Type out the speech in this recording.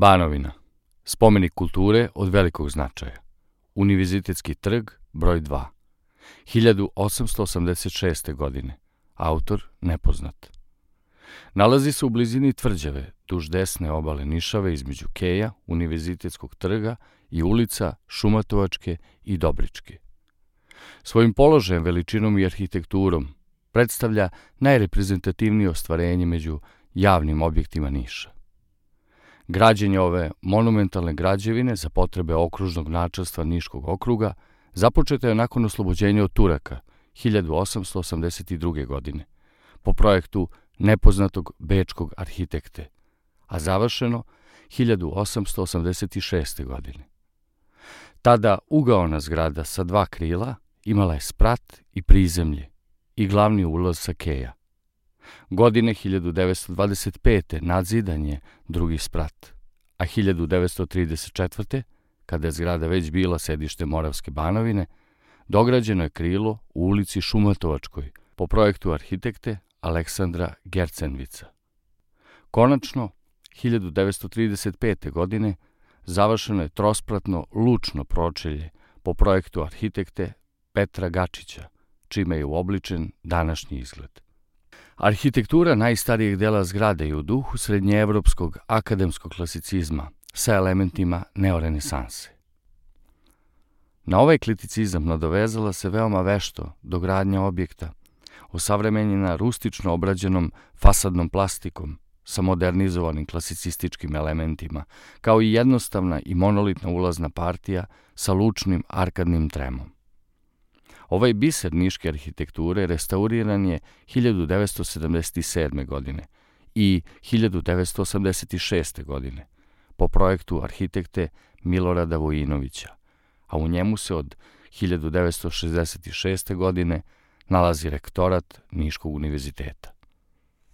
Banovina. Spomenik kulture od velikog značaja. Univerzitetski trg, broj 2. 1886. godine. Autor nepoznat. Nalazi se u blizini tvrđave, duž desne obale Nišave između Keja, Univerzitetskog trga i ulica Šumatovačke i Dobričke. Svojim položajem, veličinom i arhitekturom predstavlja najreprezentativnije ostvarenje među javnim objektima Niša. Građenje ove monumentalne građevine za potrebe okružnog načelstva Niškog okruga započeto je nakon oslobođenja od Turaka 1882. godine po projektu nepoznatog bečkog arhitekte, a završeno 1886. godine. Tada ugaona zgrada sa 2 krila imala je sprat i prizemlje i glavni ulaz sa Keja. Godine 1925. nadzidan je drugi sprat, a 1934. kada je zgrada već bila sedište Moravske Banovine, dograđeno je krilo u ulici Šumatovačkoj po projektu arhitekte Aleksandra Gercenvica. Konačno, 1935. godine završeno je trospratno lučno pročelje po projektu arhitekte Petra Gačića, čime je uobličen današnji izgled. Arhitektura najstarijeg dela zgrade je u duhu srednjeevropskog akademskog klasicizma sa elementima neorenesanse. Na ovaj kriticizam nadovezala se veoma vešto dogradnja objekta, osavremenjena rustično obrađenom fasadnom plastikom sa modernizovanim klasicističkim elementima, kao i jednostavna i monolitna ulazna partija sa lučnim arkadnim tremom. Ovaj biser niške arhitekture restauriran je 1977. godine i 1986. godine po projektu arhitekte Milorada Vojinovića, a u njemu se od 1966. godine nalazi rektorat Niškog univerziteta.